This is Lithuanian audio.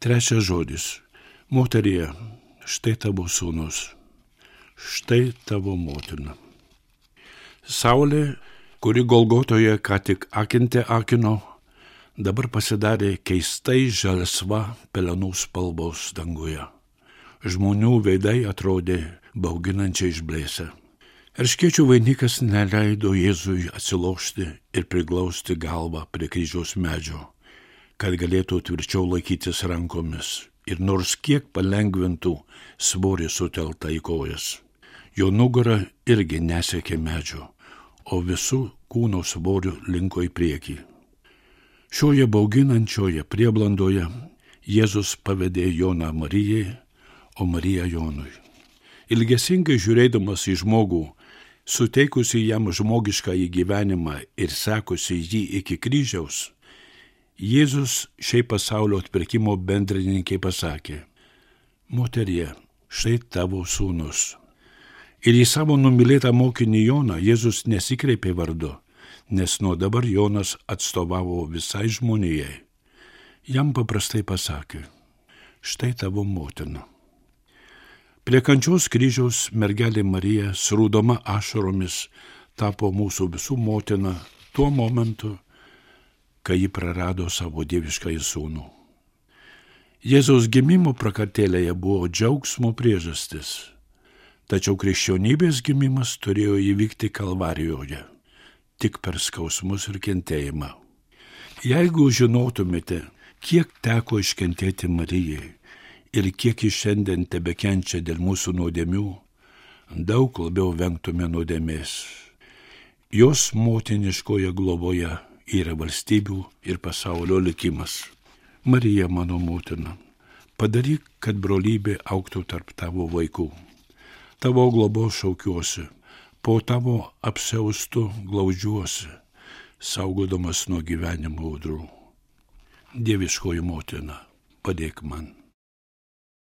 Trečias žodis. Moterie, štai tavo sūnus, štai tavo motina. Saulė, kuri Golgotoje ką tik akinte akino, dabar pasidarė keistai žalsva pelenų spalvos danguje. Žmonių veidai atrodė bauginančiai išblėsę. Erškėčių vainikas neleido Jėzui atsilošti ir priglausti galvą prie kryžiaus medžio, kad galėtų tvirčiau laikytis rankomis ir nors kiek palengvintų svorį suteltą į kojas. Jo nugara irgi nesiekė medžio, o visų kūno svorių linko į priekį. Šioje bauginančioje prieblandoje Jėzus pavedė Joną Marijai, o Marija Jonui. Ilgesingai žiūrėdamas į žmogų, suteikusi jam žmogišką gyvenimą ir sekusi jį iki kryžiaus, Jėzus šiai pasaulio atpirkimo bendrininkai pasakė: Moterie, štai tavo sūnus. Ir į savo numylėtą mokinį Joną Jėzus nesikreipė vardu, nes nuo dabar Jonas atstovavo visai žmonijai. Jam paprastai pasakė: štai tavo motina. Prie kančios kryžiaus mergelė Marija, srūdama ašaromis, tapo mūsų visų motina tuo momentu, kai ji prarado savo dieviškąjį sūnų. Jėzaus gimimo prakartėlėje buvo džiaugsmo priežastis, tačiau krikščionybės gimimas turėjo įvykti Kalvarijoje, tik per skausmus ir kentėjimą. Jeigu žinotumėte, kiek teko iškentėti Marijai ir kiek ji šiandien tebekenčia dėl mūsų nuodėmių, daug labiau vengtume nuodėmės. Jos motiniškoje globoje yra valstybių ir pasaulio likimas. Marija, mano motina, padaryk, kad brolybė augtų tarp tavo vaikų. Tavo globos šaukiuosi, po tavo apsiaustu glaudžiuosi, saugodamas nuo gyvenimo audrų. Dieviškoji motina, padėk man.